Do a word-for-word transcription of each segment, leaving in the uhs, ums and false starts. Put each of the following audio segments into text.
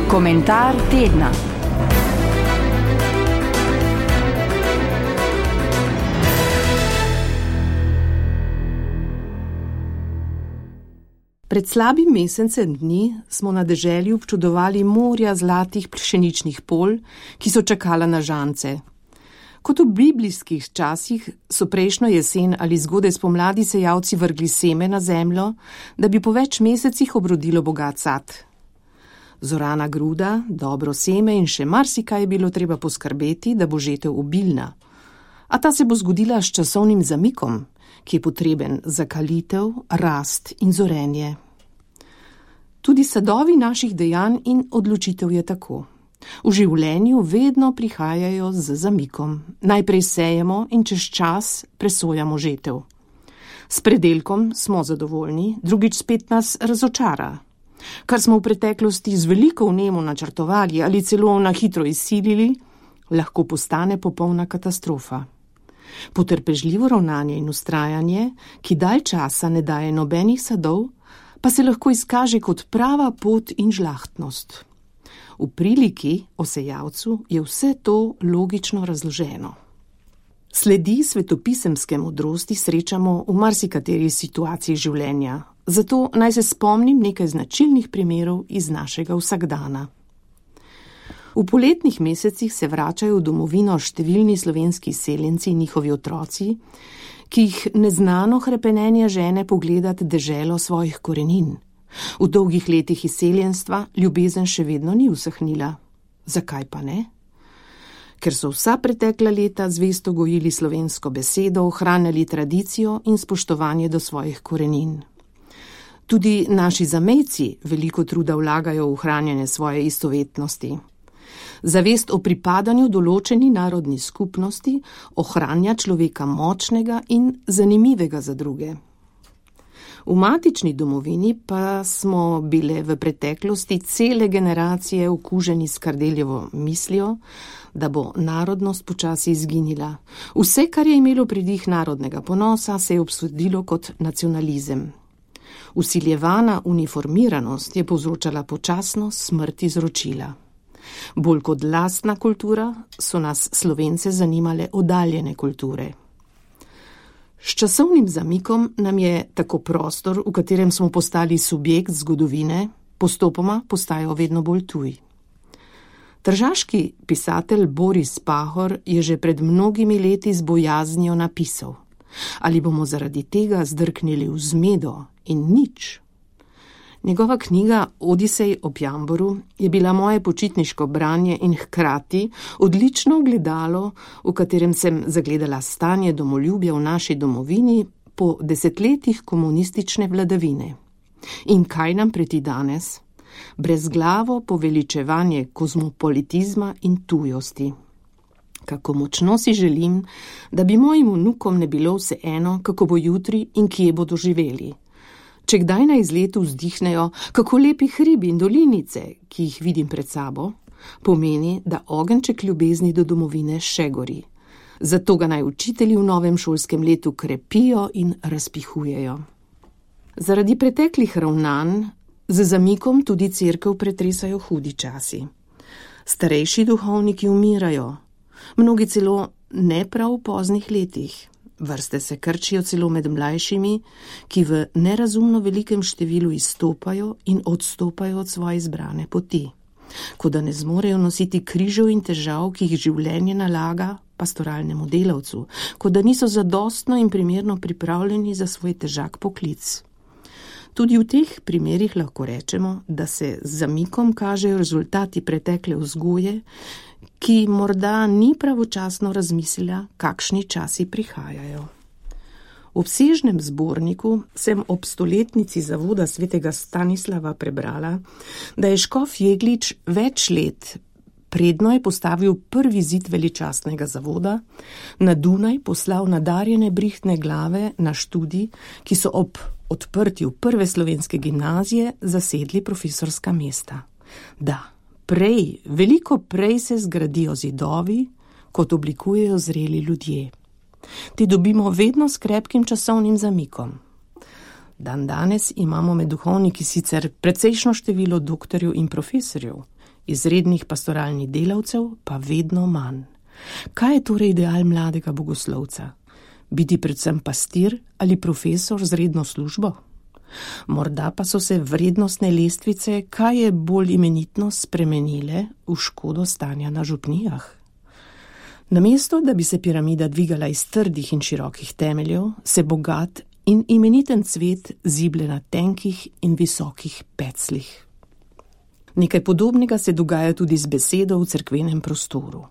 Komentar tedna. Pred slabim mesecem dni smo na deželi občudovali morja zlatih pšeničnih polj, ki so čakala na žance. Kot v biblijskih časih so prejšnjo jesen ali zgodaj spomladi sejalci vrgli seme na zemljo, da bi po več mesecih obrodilo bogat sad. Zorana gruda, dobro seme in še marsikaj je bilo treba poskrbeti, da bo žetev obilna. A ta se bo zgodila s časovnim zamikom, ki je potreben za kalitev, rast in zorenje. Tudi sadovi naših dejanj in odločitev je tako. V življenju vedno prihajajo z zamikom. Najprej sejemo in čez čas presojamo žetev. S predelkom smo zadovoljni, drugič spet nas razočara. Kar smo v preteklosti z veliko vnemo načrtovali ali celo na hitro izsilili, lahko postane popolna katastrofa. Potrpežljivo ravnanje in vztrajanje, ki dalj časa ne daje nobenih sadov, pa se lahko izkaže kot prava pot in žlahtnost. V priliki o sejalcu je vse to logično razloženo. Sledi svetopisemske modrosti srečamo v marsikateri situaciji življenja, zato naj se spomnim nekaj značilnih primerov iz našega vsakdana. V poletnih mesecih se vračajo v domovino številni slovenski seljenci in njihovi otroci, ki jih neznano hrepenenje žene pogledati deželo svojih korenin. V dolgih letih izseljenstva ljubezen še vedno ni usahnila. Zakaj pa ne? Ker so vsa pretekla leta zvesto gojili slovensko besedo, ohranjali tradicijo in spoštovanje do svojih korenin. Tudi naši zamejci veliko truda vlagajo v ohranjanje svoje istovetnosti. Zavest o pripadanju določeni narodni skupnosti ohranja človeka močnega in zanimivega za druge. V matični domovini pa smo bile v preteklosti cele generacije okuženi s Kardeljevo mislijo, da bo narodnost počasi izginila. Vse, kar je imelo pridih narodnega ponosa, se je obsodilo kot nacionalizem. Vsiljevana uniformiranost je povzročala počasno smrt izročila. Bolj kot lastna kultura so nas Slovence zanimale oddaljene kulture. S časovnim zamikom nam je tako prostor, v katerem smo postali subjekt zgodovine, postopoma postajajo vedno bolj tuj. Tržaški pisatelj Boris Pahor je že pred mnogimi leti z bojaznijo napisal: ali bomo zaradi tega zdrknili v zmedo in nič. Njegova knjiga Odisej ob Jamboru je bila moje počitniško branje in hkrati odlično ogledalo, v katerem sem zagledala stanje domoljubja v naši domovini po desetletjih komunistične vladavine. In kaj nam preti danes? Brezglavo poveličevanje kozmopolitizma in tujosti. Kako močno si želim, da bi mojim vnukom ne bilo vseeno, kako bo jutri in kje bodo živeli. Če kdaj na izletu vzdihnejo, kako lepi hribi in dolinice, ki jih vidim pred sabo, pomeni, da ogenček ljubezni do domovine še gori. Zato ga naj učitelji v novem šolskem letu krepijo in razpihujejo. Zaradi preteklih ravnanj z zamikom tudi cerkev pretresajo hudi časi. Starejši duhovniki umirajo, mnogi celo ne prav v poznih letih. Vrste se krčijo celo med mlajšimi, ki v nerazumno velikem številu izstopajo in odstopajo od svoje izbrane poti. Kot da ne zmorejo nositi križev in težav, ki jih življenje nalaga pastoralnemu delavcu, kot da niso zadostno in primerno pripravljeni za svoj težak poklic. Tudi v teh primerih lahko rečemo, da se z zamikom kažejo rezultati pretekle vzgoje, ki morda ni pravočasno razmislila, kakšni časi prihajajo. V obsežnem zborniku sem ob stoletnici zavoda svetega Stanislava prebrala, da je škof Jeglič več let predno je postavil prvi zid veličastnega zavoda, na Dunaj poslal nadarjene brihtne glave na študij, ki so ob odprtju prve slovenske gimnazije zasedli profesorska mesta. Da, prej, veliko prej se zgradijo zidovi, kot oblikujejo zreli ljudje. Ti dobimo vedno s krepkim časovnim zamikom. Dan danes imamo med duhovniki sicer precejšno število doktorjev in profesorjev, izrednih pastoralnih delavcev pa vedno manj. Kaj je torej ideal mladega bogoslovca? Biti predvsem pastir ali profesor z redno službo? Morda pa so se vrednostne lestvice kaj je bolj imenitno spremenile v škodo stanja na župnijah. Namesto, da bi se piramida dvigala iz trdih in širokih temeljev, se bogat in imeniten cvet zible na tenkih in visokih pecljih. Nekaj podobnega se dogaja tudi z besedo v cerkvenem prostoru.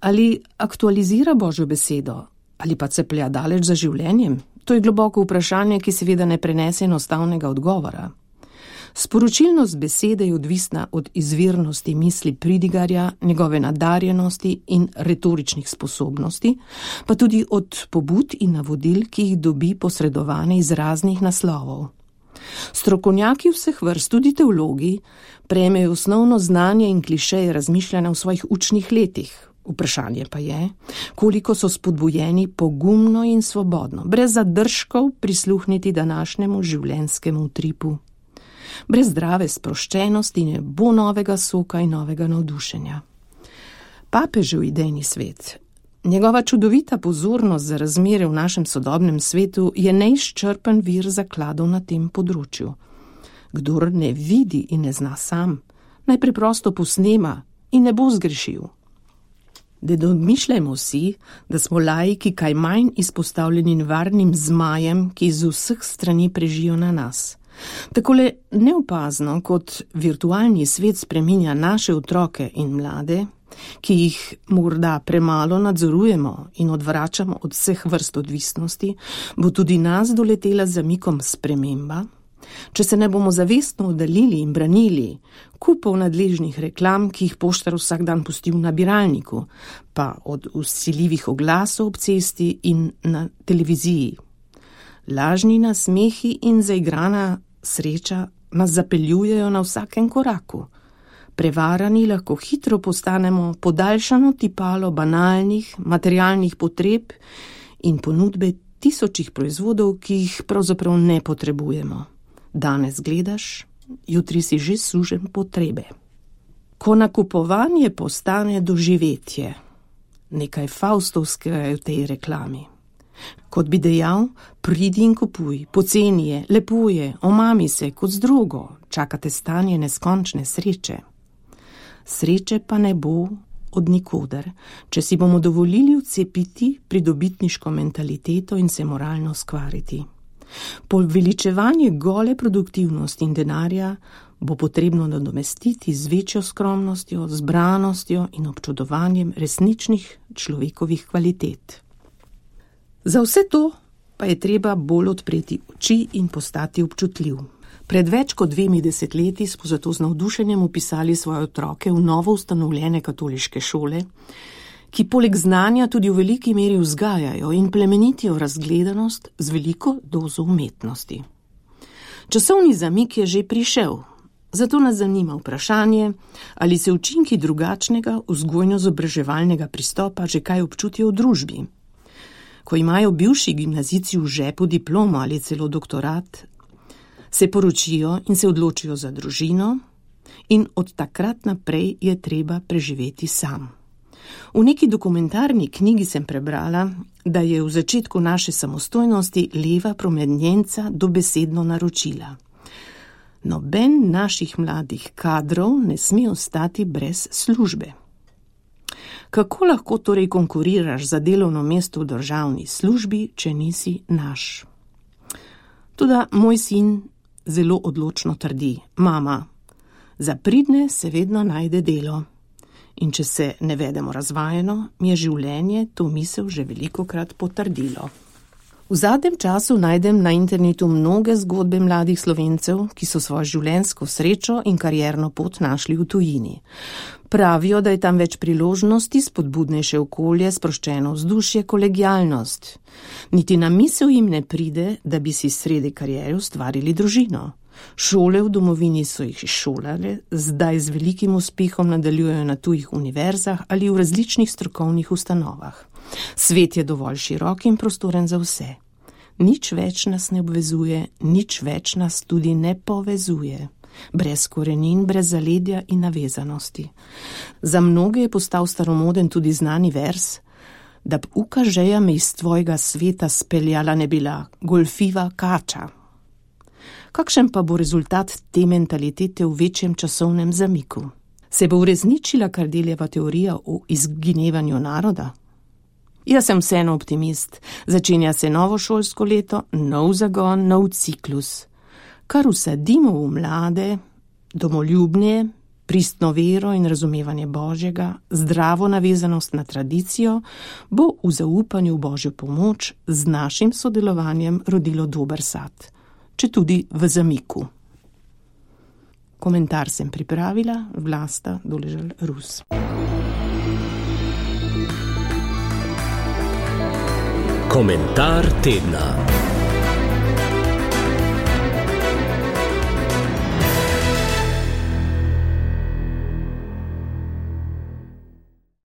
Ali aktualizira Božjo besedo, ali pa ceplja daleč za življenjem? To je globoko vprašanje, ki seveda ne prenese enostavnega odgovora. Sporočilnost besede je odvisna od izvirnosti misli pridigarja, njegove nadarjenosti in retoričnih sposobnosti, pa tudi od pobud in navodil, ki jih dobi posredovane iz raznih naslovov. Strokovnjaki vseh vrst, tudi teologi, prejmejo osnovno znanje in klišeje razmišljanja v svojih učnih letih. Vprašanje pa je, koliko so spodbujeni pogumno in svobodno, brez zadržkov prisluhniti današnjemu življenjskemu utripu. Brez zdrave sproščenosti ne bo novega soka in novega navdušenja. Papežev idejni svet, njegova čudovita pozornost za razmere v našem sodobnem svetu je neizčrpen vir zakladov na tem področju. Kdor ne vidi in ne zna sam, naj preprosto posnema in ne bo zgrešil. Da domišljajmo si, da smo laiki kaj manj izpostavljeni nevarnim zmajem, ki iz vseh strani prežijo na nas. Takole neopazno, kot virtualni svet spreminja naše otroke in mlade, ki jih morda premalo nadzorujemo in odvračamo od vseh vrst odvisnosti, bo tudi nas doletela z zamikom sprememba. Če se ne bomo zavestno oddaljili in branili kupov nadležnih reklam, ki jih poštar vsak dan pusti v nabiralniku, pa od vsiljivih oglasov ob cesti in na televiziji. Lažni nasmehi in zaigrana sreča nas zapeljujejo na vsakem koraku. Prevarani lahko hitro postanemo podaljšano tipalo banalnih, materialnih potreb in ponudbe tisočih proizvodov, ki jih pravzaprav ne potrebujemo. Danes gledaš, jutri si že sužen potrebe. Ko nakupovanje postane doživetje, nekaj faustovskega je v tej reklami. Kot bi dejal, pridi in kupuj, poceni je, lepo je, omami se kot z drugo, čakate stanje neskončne sreče. Sreče pa ne bo od nikoder, če si bomo dovolili vcepiti pridobitniško mentaliteto in se moralno skvariti. Poveličevanje gole produktivnosti in denarja bo potrebno nadomestiti z večjo skromnostjo, zbranostjo in občudovanjem resničnih človekovih kvalitet. Za vse to pa je treba bolj odpreti oči in postati občutljiv. Pred več kot dvemi desetletji smo zato z navdušenjem upisali svoje otroke v novo ustanovljene katoliške šole, ki poleg znanja tudi v veliki meri vzgajajo in plemenitijo razgledanost z veliko dozo umetnosti. Časovni zamik je že prišel, zato nas zanima vprašanje, ali se učinki drugačnega vzgojno-izobraževalnega pristopa že kaj občutijo v družbi. Ko imajo bivši gimnazijci v žepu diplomo ali celo doktorat, se poročijo in se odločijo za družino in od takrat naprej je treba preživeti sam. V neki dokumentarni knjigi sem prebrala, da je v začetku naše samostojnosti leva promenjenca dobesedno naročila. Noben naših mladih kadrov ne sme ostati brez službe. Kako lahko torej konkuriraš za delovno mesto v državni službi, če nisi naš? Toda moj sin zelo odločno trdi, mama, za pridne se vedno najde delo. In če se ne vedemo razvajeno, mi je življenje to misel že velikokrat potrdilo. V zadnjem času najdem na internetu mnoge zgodbe mladih Slovencev, ki so svojo življenjsko srečo in karierno pot našli v tujini. Pravijo, da je tam več priložnosti, spodbudnejše okolje, sproščeno vzdušje, kolegialnost. Niti na misel jim ne pride, da bi si sredi kariere ustvarili družino. Šole v domovini so jih izšolale, zdaj z velikim uspehom nadaljujejo na tujih univerzah ali v različnih strokovnih ustanovah. Svet je dovolj širok in prostoren za vse. Nič več nas ne obvezuje, nič več nas tudi ne povezuje. brez korenin, brez zaledja in navezanosti. Za mnoge je postal staromoden tudi znani vers, da b uka žeja me iz tvojega sveta speljala ne bila, golfiva kača. Kakšen pa bo rezultat te mentalitete v večjem časovnem zamiku? Se bo uresničila Kardeljeva teorija o izginevanju naroda? Jaz sem vseeno optimist. Začenja se novo šolsko leto, nov zagon, nov ciklus. Kar vsadimo v mlade, domoljubne, pristno vero in razumevanje Božjega, zdravo navezanost na tradicijo, bo v zaupanju v Božjo pomoč z našim sodelovanjem rodilo dober sad, če tudi v zamiku. Komentar sem pripravila, Vlasta Doležal-Rus. Komentar tedna.